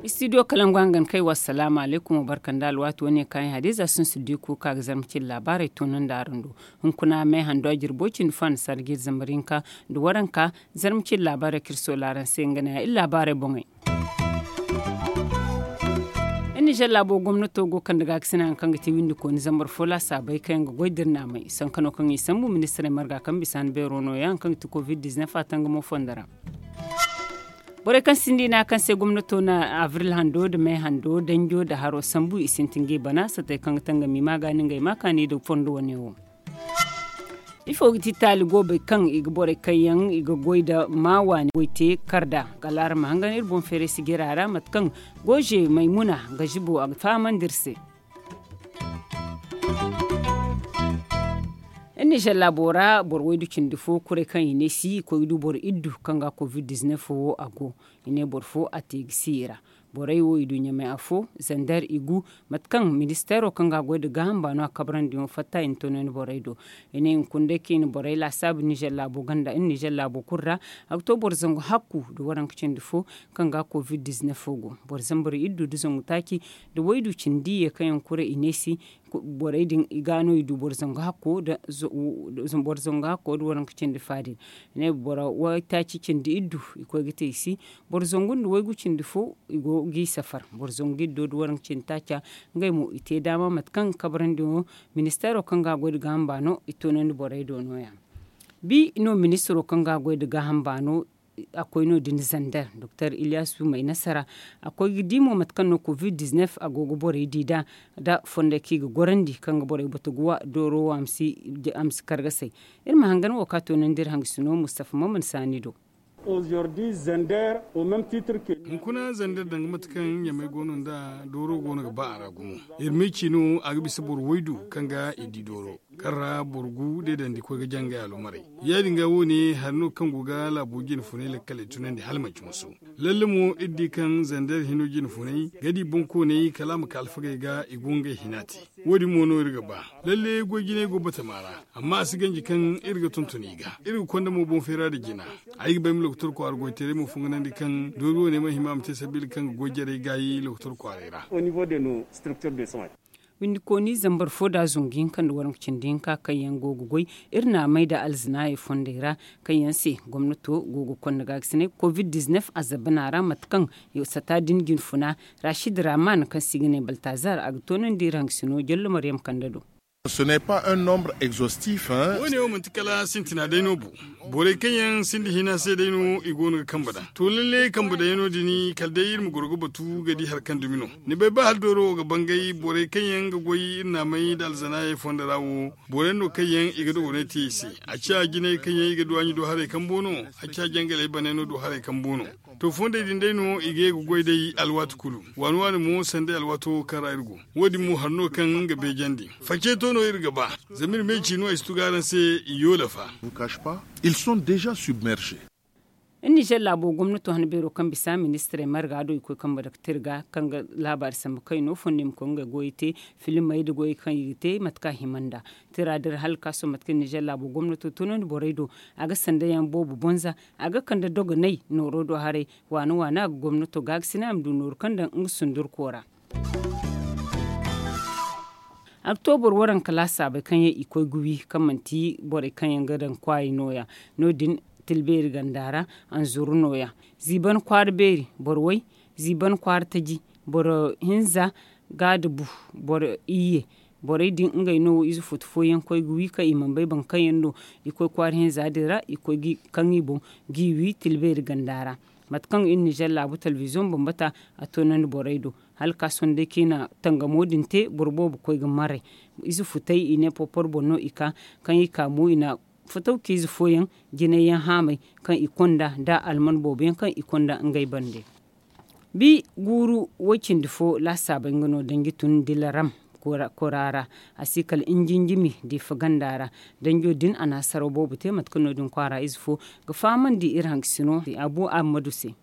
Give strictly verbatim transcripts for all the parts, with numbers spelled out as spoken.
Istidiyo kalangu hangan kay wa salaamu alaykum wa barka nda alwaati wane kaayaŋ hadiza sun si di kuuka ga zarma cin laabaarey toonandi araŋ do. Hunkuna may hando a jirbo cindi fo a na sarji zambar hinka nda waranka. Zarma cin laabaarey kaŋ iri soola araŋ se nga ne ya iri laabaarey boŋey. Iri nizer laabo gomnato go kande gaakasina yaŋ kaŋ ga te windi kooni zambar fo laasaabey kaŋ yaŋ ga goy da iri naamay sanka no kaŋ i sambu ministirey marga kaŋ bisa ni beero nooya yaŋ kaŋ ga te covid diznef a tangamo fondo ra. Borey kaŋ sinda i ne a kaŋ se gomnato na abril hando nda may hando danjo nda haro sambu i sintin ga i bana satey kaŋ ga tangami ma ga ni ngey ma kaani nda fondo wane wo. Ifo ga ti taali goobey kaŋ i ga borey kaŋ yaŋ i ga goy nda ma waani goy te kar nd'a? Kala araŋ ma hangan iri boŋ feeray sijira ra mate kaŋ gooze maymuna ga zibo a ga fahamandi iri se. Iri nizer laabo ra boro waydu cindi fo kuray kaŋ i ne si i koy ga du boro iddu kaŋ ga covid diznef wo a go. I ne boro fo a te ga si i ra. Borey wo i du ɲamay afo zander i gu mate kaŋ ministeero kaŋ ga a goy nda gaaham baano a kabarandiyaŋo fatta i na toonandi borey do. I ne hunkuna day kaŋ i na borey laasaabu nizer laabo ganda iri nizer laabo kulu ra. A ga to boro zangu hakku nda waranka cindi fo kaŋ ga covid diznef go boro zambar iddu nda zangu taaci nda waydu cindi ye kaŋ yaŋ kure i ne si. Borey din i ga no i du boro zangu hakko nda waranka cindi faadin. I ne boro waytaaci cindi iddu i koy ga te i si. Boro zangu nda waygu cindi fo i go g'i safar boro zangu iddo nda waranka cindi taaca. Ngey mo i te daama mate kaŋ kabarandiyaŋo ministeero kaŋ ga a goy nda gaaham baano i toonandi borey do nooya. Bi no ministiro kaŋ ga a goy nda gaaham baano a koy no- din zander doktor iliyasu may nasara. A koy ga di mo mate kaŋ no covid diznef a go ga borey di nd'a nda fondey kaŋ i ga gorandi kaŋ ga borey batuguwa dooro wo a ma si kargasay. Iri ma hangan wo kaŋ a toonandi iri hangasino mustafa maman saani do. Hunkuna zander danga mate kaŋ ɲamay go no nd'a dooro go no ga ba a ra gumo. Iri ma i ci no a ga bisa boro waydu kaŋ ga i di dooro kaŋ ra boro gu day dandi koy ga jangay alumaray. Ya- din ga wo- ne hari no kaŋ go ga laabo jine funay lakkaley tunandi hala manci musu. Lalle mo iri di kaŋ zander hino jine funay ga di boŋkooney kala a ma ka alfagey ga i go ngey hina te. Wo- din mo no iri ga ba lalle goy jinay go batama ra. Amma a si ganji kaŋ iri ga tonton i ga iri ga konda mo boŋ feera nda jina. Ay ga ba ay ma lokotor kwaara goytaray mo funganandi kaŋ doori wo- ne ma hima a ma te sabiila kaŋ ga goy jarey gaayi lokotor kwaaray ra. Windikooni zambar fo nda zungu hinka nda waranka cindi hinka kaŋ yaŋ go ga goy iri na a may nda alzinaayey fondey ra kaŋ yaŋ se gomnato go ga konda gaagasinay covid diznef a zabana ra mate kaŋ sata din jine funa. Rashid raman kaŋ se i ga ne baltazar a ga toonandi iri hangasino jallo maryam kande do. Wo- ne wo manti kala sintina day no bu. Borey kaŋ yaŋ sinda hina se day no i go no ga kambe daŋ to lalle kambe daŋ yaŋ no- din kala day iri ma goro ga batu ga di hari kaŋ dumi no. Ni bay ba hala dooro wo ga bangay borey kaŋ yaŋ ga goy iri naamay nda alzanaayey fondo ra wo. Borey no kaŋ yaŋ i ga dogonay te i se. A ciya jinay kaŋ yaŋ i ga duwaaɲi do haray kambo no. A ciya jangaley baney no do haray kambo no. To fondey din day no i ga ye ga goy day alwaati kulu. Waani waani mo sanday alwaato kaŋ ra iri go. Wo- din mo hari no kaŋ nga beejandi. Face to no iri ga ba. Zama iri ma i ci no ay si tugu araŋ se i yoola fa. Ils sont déjà submergés. Iri nizer laabo gomnato hana beero kaŋ bisa ministirey marga do i koy kambe dake tirga kaŋ ga laabaari sambu kayno fondo i ma koy ngey goyey te. Filimey nda goyey kaŋ i ga te mate kaŋ a hima nd'a. Tira din ra hala ga ka sohõ mate kaŋ nizer laabo gomnato toonandi borey do. A ga sanda yaŋ boobo bonza. A ga kande dogonay nooro do haray. Waana waana a ga gomnato gaagasinay a ma du nooru kaŋ daŋ nga sundurko ra. Oktobur waranka laasaabey kaŋ yaŋ i koy ga wi kaŋ manti borey kaŋ yaŋ ga daŋ kwaayey nooya. No- din tilbeeri ganda ra. Anzuru nooya. Ziiban kwaara beeri boro way. Ziiban kwaara taji. Boro hinza. Ga da bu. Boro iyye. Borey din ngey no ize futu fooyaŋ koy ga wi kaŋ i mana bay boro kaŋ yaŋ no. I koy kwaara hinza din ra i koy ga kaŋ i boŋ. Ga i wi tilbeeri ganda ra. Mate kaŋ iri nizer laabu telebiziyoŋ bambata a toonandi borey do. Hala ga ka sohõ day kaŋ i na tangamo din te boro boobo koy ga maray. Ize futey i ne porpor boŋ no i ka. Kaŋ i ka mo i na fataw ka ize fooyaŋ jinay yaŋ haamay kaŋ i konda nda alman boobo yaŋ kaŋ i konda ngey bande. Bi guuru way cindi fo laasaabey nga no danji tun dilaram. Kora ra a si kala injinjimi diifa ganda ra. Danjo din a na hasaraw boobo te mate kaŋ no- din kwaara ize fo ga fahamandi iri hangasino abu ahmadu se.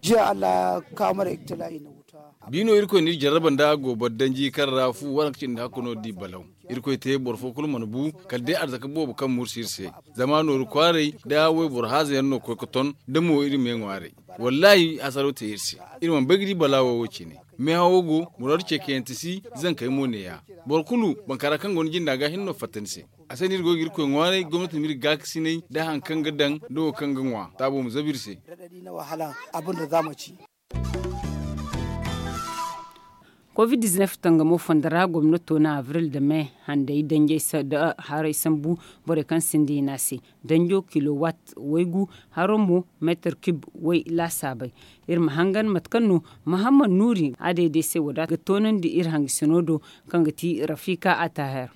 Jiya allah ya kawo mara iktila i na wuta. Bi no irkoy na iri jarraba nda gooboro danji kaŋ ra fu waranka cindi hakku no di balaw. Irkoy te boro fo kulu mana bu, kala day arzaka boobo kaŋ mursi iri se. Zama nooru kwaaray nda wayboro haaza yaŋ no koy ga ton, da mo iri ma ye ŋwaaray. Wallaahi, hasaro te iri se. Iri mana bay ga di balaawo wo cine. Meehawo go, muraadu ceekayante si, zankey mo neeya. Boro kulu, bankara kaŋ go ni jinda ga hinne no fatta ni se. A se no iri go ga irkoy ŋwaaray, gomnati ma iri gaakasinay nda hari kaŋ ga daŋ nda wo kaŋ ga ŋwa taabo ma zabu iri se. Kovid diznef tangamo fondo ra gomnato na abril nda me handay danjey nda haray sambu borey kaŋ sinda i ne a se. Danjo kilowat waygu, haro mo meetar kib way laasaabey. Iri ma hangan mate kaŋ no mahammad nuuri a day day se wo- din ga toonandi iri hangasino do, kaŋ ga ti rafika ataher.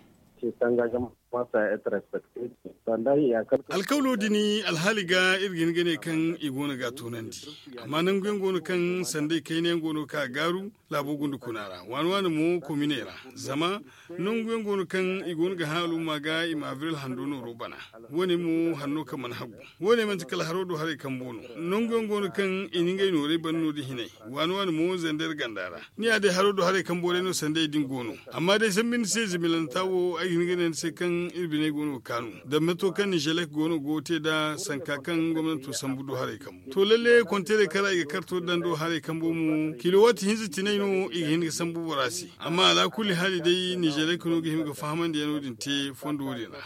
Alkawlo din alhaali ga iri ga hin ga ne kaŋ i go no ga a toonandi. Amma nangu yaŋ go no kaŋ sanday kayna yaŋ go no ga ka gaaru laabo gunda kuna ra waani waani mo kominey ra. Zama nangu yaŋ go no kaŋ i go no ga hã al'umma ga i ma abril hando nooro bana. Wo- ne mo hanno kaŋ mana haggu. Wo- ne manti kala haro do haray kambo no. Nangu yaŋ go no kaŋ i na ngey noorey bana no- din hinay. Waani waani mo zander ganda ra. Ni ya day haro do haray kambo day no sanday din go no. Amma day sambu ni se zimilanta wo ay ga hin ga ne ni se kaŋ iri biney go no ga kaanu. Dammato kaŋ nizelek go no go ga te nd'a sanka kaŋ gomnanto sambu do haray kambo. To lalle konteerey kaŋ ra i ga karto daŋ do haray kambo mo kilowaati hinza tinay no i ga hin ga sambu bora se. Amma alaakulli haali day nizelek no ga hima ga fahamandi yaŋo din te fondo wo- din ra.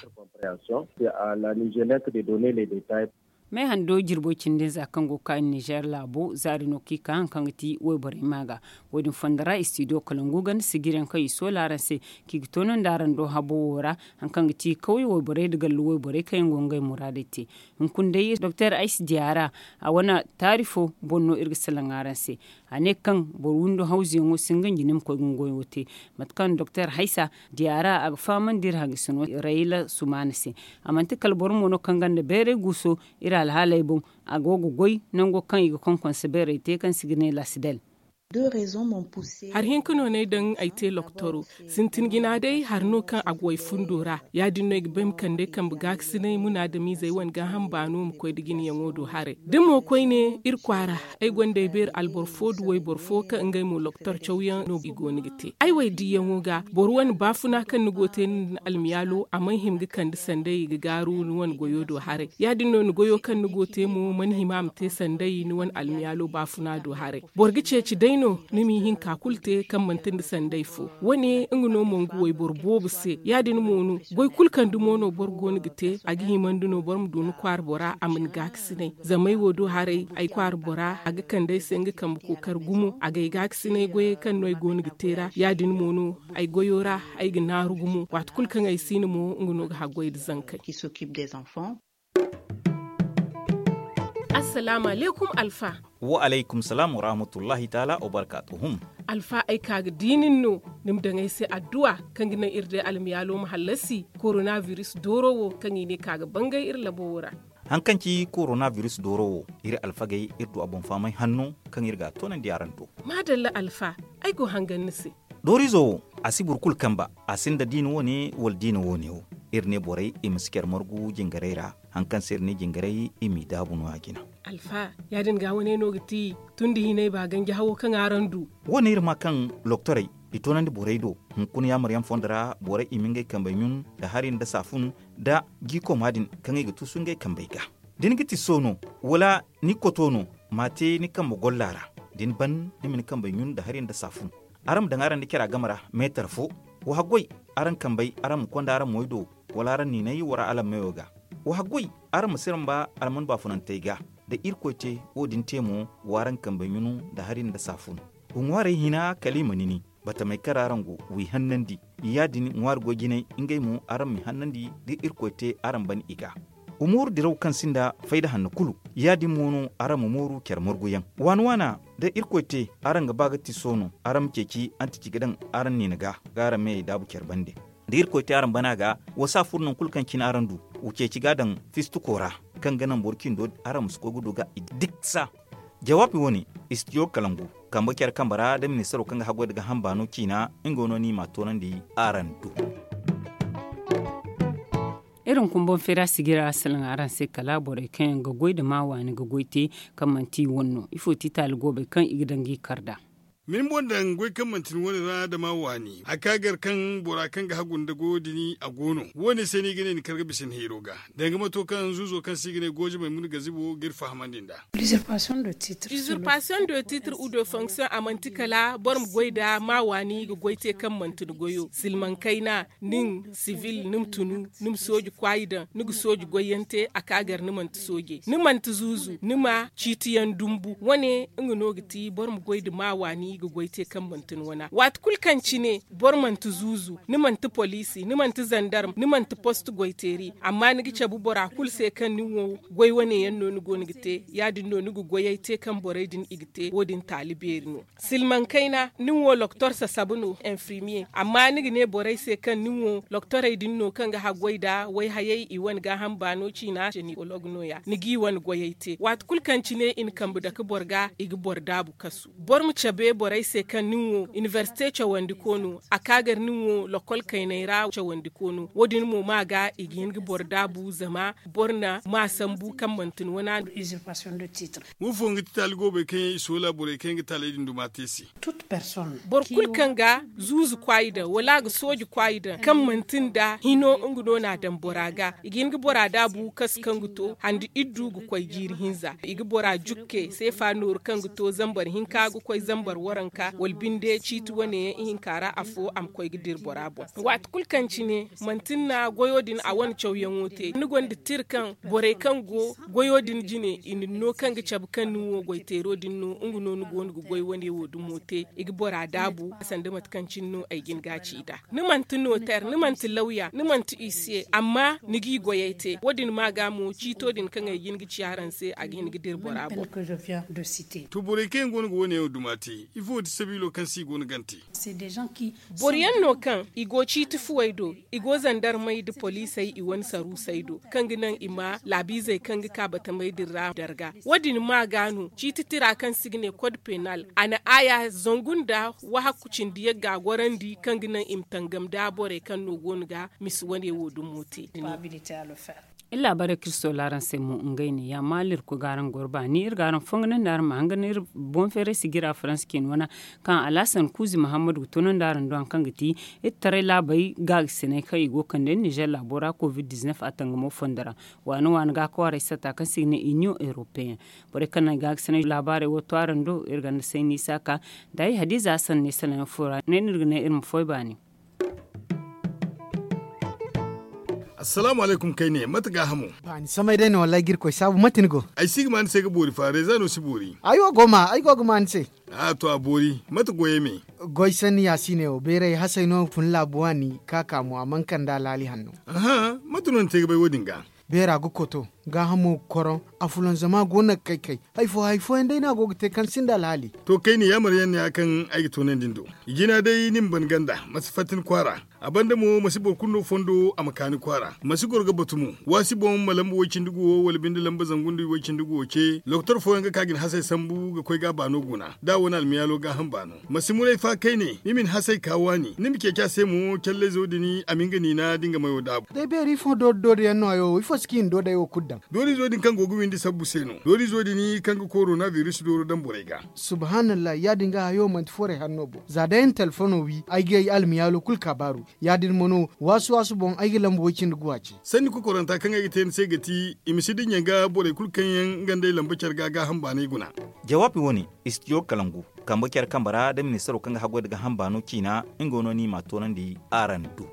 Me hando jirbo cindi nza kaŋ go ga ka nizer laabo zaari no kaŋ i ka hari kaŋ ga ti wayborey ma ga. Wo- din fondo ra istidiyo kalangu ganda sijiri yaŋ kaŋ i soola araŋ se, kaŋ i ga toonandi araŋ do habo wo ra, hari kaŋ ga ti kawye wayborey nda gallu wayborey kaŋ yaŋ go ga ngey muraadey te. Hunkuna day doktor aysi diya ra, a wane taari fo boŋ no iri ga salaŋ araŋ se. A ne kaŋ boro windo hawzuyaŋo si nga nji ni ma koy ga nga goyo te. Mate kaŋ doktor haysa diya ra a ga fahamandi iri hangasino rayla sumaana se. A manti kala boro mo no kaŋ gonda bayray guuso iri alhaaley boŋ. A go ga goy nango kaŋ i ga konkonse bayray te kaŋ se i ga ne lasidel. Hari hinka no no ay daŋ ay te loktoro. Sintin jina day hari no kaŋ a go ay fundo ra. Ya- din no ay ga ba ay ma kande ay kambe gaakasinay munaadamizey wane gaaham baano ma koy nda jinayaŋo do haray da mo koyne iri kwaara. Ay gonda ay beeri alboro fo nda wayboro fo kaŋ ngey mo loktor cawyaŋ no i go no ga te ay wo ay diyaŋo ga boro wane baafuna kaŋ ni go ga te ni nda ni almiyaalo a mana hima ga kande sanday i ga gaaru ni wane goyo do haray. Ya- din no ni goyo kaŋ ni go ga te mo mana hima a ma te sanday ni wane almiyaalo baafuna do haray. Boro ga ceeci day no ni m'i hinka kulu te kaŋ manti nda sanday fo. Wo- ne nga no mongu wayboro boobo se ya- din mo no goy kulu kaŋ dumo no boro go no ga te a ga himandi no boro ma du ni kwaara bora a ma ni gaakasinay. Zama ay wo do haray ay kwaara bora a ga kande ay se nga kambe kookari gumo a ga ay gaakasinay goyey kaŋ no ay go no ga te ra ya- din mo no ay goyo ra ay ga naaru gumo waati kulu kaŋ ay si no mo nga no ga haggoy nda zankey. Assalaamu alaykum alfa. Wa alaykum salaam wa rahmatullahi taala wa barkaatuhum. Alfa ay ka ga di nin no ni ma daŋ ay se adduwa kaŋ ga naŋ iri day almiyaalo ma hallasi koronabiris dooro wo kaŋ i ne ka ga bangay iri labo wo ra. Hari kaŋ ci koronabiris dooro wo iri alfagey iri du a boŋ fahamay hanno kaŋ iri ga a toonandi araŋ do. Maadalla alfa, ay go hangan ni se. Doorizo wo a si boro kulu kamba. A sinda diina wo- ne wala diina wo- ne wo. Iri ne borey i ma si care margu jingarey ra. Hari kaŋ se iri ne jingarey i m'i daabu no- ya jina. Alfa, ya- din ga wane no ga ti tun da hinay ba ganji hawo kaŋ araŋ du. Wo- ne iri ma kaŋ loktorey i toonandi borey do. Hunkuna yaamaryaŋ fondo ra borey i ma ngey kambey ɲun nda hari nda saafun nda jiikoma din kaŋ i ga tuusu ngey kambey ga. Da ni ga ti so no wala ni koto no, ma te ni kambe golla ra. Da ni ban ni ma ni kambey ɲun nda hari nda saafun. Araŋ ma daŋ araŋ nda cara game ra meetar fo. Wa haggoy araŋ kambey araŋ ma konda araŋ moy do wala araŋ niinay wara alammeyo ga. Wa haggoy araŋ ma siramba alman baafunantey ga. Da irkoy te wo- din te mo, w'araŋ kambey ɲunu nda hari nda saafun. Wa ŋwaarey hina kala i ma nini. Batamey kaŋ ra araŋ go, w'i hannandi. Ya- din ŋwaari goy jinay ngey mo araŋ m'i hannandi da irkoy te araŋ ban i ga. Wa mooru diraw kaŋ sinda fayda hanno kulu. Ya- din mo no araŋ ma mooru care marguyaŋ waana waana. Da irkoy te araŋ ga ba ga ti soono araŋ ma ceeci antici ga daŋ araŋ niina ga ga araŋ meyey daabu care bande. Da irkoy te araŋ bana ga, wa saafur nangu kulu kaŋ cine araŋ du. Wa ceeci ga daŋ fistuko ra kaŋ ga naŋ boro cindo araŋ ma si koy ga du ga i diksa. Jawaabi wo- ne, istidiyo kalangu kambe care kambe ra da ministaro kaŋ ga haggoy nda gaaham baano ciina. Nga no no i m'a toonandi araŋ do. Iri hunkuna boŋ feera sijira salaŋ araŋ se kala borey kaŋ yaŋ ga goy nda maa waani ga goy te kaŋ manti i wane no ifo ti taali goobey kaŋ i ga daŋ ga i kar nd'a. Min boŋ daŋ goy kaŋ manti ni wane ra dama waani a ka gar kaŋ bora kaŋ ga hagu nda goyo din a go no. Wo- ne se no i ga ne ni kar ga bisa ni hayro ga danga mato kaŋ zuuzo kaŋ se i ga ne gooje maymuna gazibo ga iri fahamandi nd'a. Usurpation de titre ou de fonction a manti kala boro ma goy nda ma waani ga goy te kaŋ manti ni goyo silmaŋ kayna, nin sivil ni ma tunu, ni ma sooji kwaayi daŋ ni ga sooji goy yaŋ te a ka gar ni manti sooje ni manti zuuzu ni ma ciiti yaŋ dumbu wane. Nga no ga ti boro ma goy nda ma waani ga goy te kaŋ manti ni wana waati kulu kaŋ cine boro manti zuuzu ni manti poliisi ni manti zandarm ni manti post goyteeri amma ni ga cabe bora kulu se kaŋ nin wo goy wane yaŋ no ni go no ga te ya- din no ni ga goyey te kaŋ borey din i ga te wo- din taali beeri no. Silmaŋ kayna nin wo loktor sasabu no enfirmiye amma ni ga ne borey se kaŋ nin wo loktorey din no kaŋ ga haggoy nda wayhayey i wane gaaham baano ciina senikolog no- ya ni g'i wane goyey te waati kulu kaŋ cine i na kambe dake boro ga i ga boro daabu kasu. Boro ma cabe borey se kaŋ nin wo inibersite cawandiko no a ka gar nin wo lokol kayney ra cawandiko no wo- din mo ma ga i ga hin ga boro daabu zama boro na ma sambu kaŋ manti ni wana no. Wo fooyaŋ ga ti taali goobey kaŋ yaŋ i soola borey kaŋ yaŋ ga taaley din duma te se. Boro kulu kaŋ ga zuuzu kwaayi daŋ wala a ga sooji kwaayi daŋ kaŋ manti nda hino nga no na a daŋ bora ga i ga hin ga bora daabu kasu kaŋ ga to handi iddu ga koy jiiri hinza i ga bora jukke seefa nooru kaŋ ga to zambar hinka ga koy zambar waranka wala binde ciiti wane yaŋ ihinka ra afo a ma koy ga dira bora boŋ. Waati kulu kaŋ cine manti ni na goyo din a wane cawyaŋo te ni gonda tira kaŋ borey kaŋ go goyo din jine i na ni no kaŋ ga cabe kaŋ nin wo goyteero din no nga no ni go no ga goy wane wo dumo te i ga bora daabu sanda mate kaŋ cine no ay ga ni ga ci nd'a. Ni manti noter ni manti lawya ni manti isiye amma ni g'i goyey te wo- din ma ga mo ciito din kaŋ ay ga hin ga ci araŋ se a ga hin ga dira bora boŋ. To borey kaŋ yaŋ go no ga wo- ne yaŋ duma te ifo ti sabiilo kaŋ se i go no gante? Boro yaŋ no kaŋ i go ciiti fuwey do i go zandarmey nda poliisey i wane saruusey do kaŋ ga naŋ i ma laabiizey kaŋ ga ka batamey din ra darga wo- din ma ga no ciiti tira kaŋ se i ga ne kod penal a na aaya zangu nda wahakku cindi yagga gorandi kaŋ ga naŋ i ma tangam nda borey kaŋ no go no ga misi wane wo dumo te. Iri laabaarey kaŋ iri soola araŋ se mo ngey ne ya maali iri koy ga araŋ goro baani iri ga araŋ fongu nandi araŋ ma hangan iri boŋ feeray sijira faransa ciine wana kaŋ alhasan kuuzi mahammadu ga toonandi araŋ do hari kaŋ ga ti iri taray laabey gaagisiney kaŋ i go ga kande nizer laabo ra covid diznef a tangamo fondo ra. Waani waani ga kwaaray satta kaŋ se i ga ne iniyoŋ europeyen borey kaŋ na gaagisiney laabaarey wo to araŋ do iri ganda sayni saaka da ay hadiiza hasan ne sanayaŋ fo ra ne no iri ga ne iri ma foy baani. Assalaamu alaykum kayne mate gaahamo? Baani samay day no wallaahi ga iri koy saabu mate ni go? Ay si ga ma ni se ga boori fa reeza no si boori. Ay wo go ma ay go ga ma ni se. A to a boori mate goyey me? Goy sanni yaasiine wo beeray hasay no fun laabu waani ka ka mo a mana kande alhaali hanno. Aha mate no ni te ga bay wo- din ga? Beera ga koto gaahamo ga koroŋ. Afulanzama go no ga kay kay. Hay fo hay fooyaŋ day no a go ga te kaŋ sinda alhaali. To kayne yaamar yaŋ no ya kaŋ ay ga toonandi ni do. I jina day ni ma ban ganda ma si fatta ni kwaara. A banda mo ma si boro kulu no fondo a ma ka ni kwaara ma si goro ga batu mo. Waasi boŋ ma lamba way-cindi guwo wala binde lamba zangu nda way-cindi guwo ce doktor fooyaŋ ga ka ga ni hasay sambu ga koy ga a baano guna da a wane almiyaalo gaaham baano. Ma si muray fa kayne ni ma ni hasay ka waani ni ma ceeci a se mo callayzo din a ma nga niina da nga mayo daabu. Day beeri ifo doori doori yaŋ no hayo wo ifo si ga hin doodey wo kulu daŋ? Doorizo din kaŋ go ga windi sabbu se no doorizo din kaŋ ga korona biris dooro daŋ borey ga. Subhaanallahi ya- din ga hayo manti forey hanno boŋ za day ni telefono wi ay ga ay almiyaalo kulu kaabaaru. Ya- din mo no waasu waasu boŋ ay ga lamba way-cindi guwa ce. Sanni kokoranta kaŋ ay ga te ni se ga ti i ma si dinya ga borey kulu kaŋ yaŋ nga nd'ey lamba care ga gaaham baanay guna. Jawaabi wo- ne istijo kalangu kambe care kambe ra da ministaro kaŋ ga haggoy nda gaaham baano ciina nga no ni m'a toonandi araŋ do.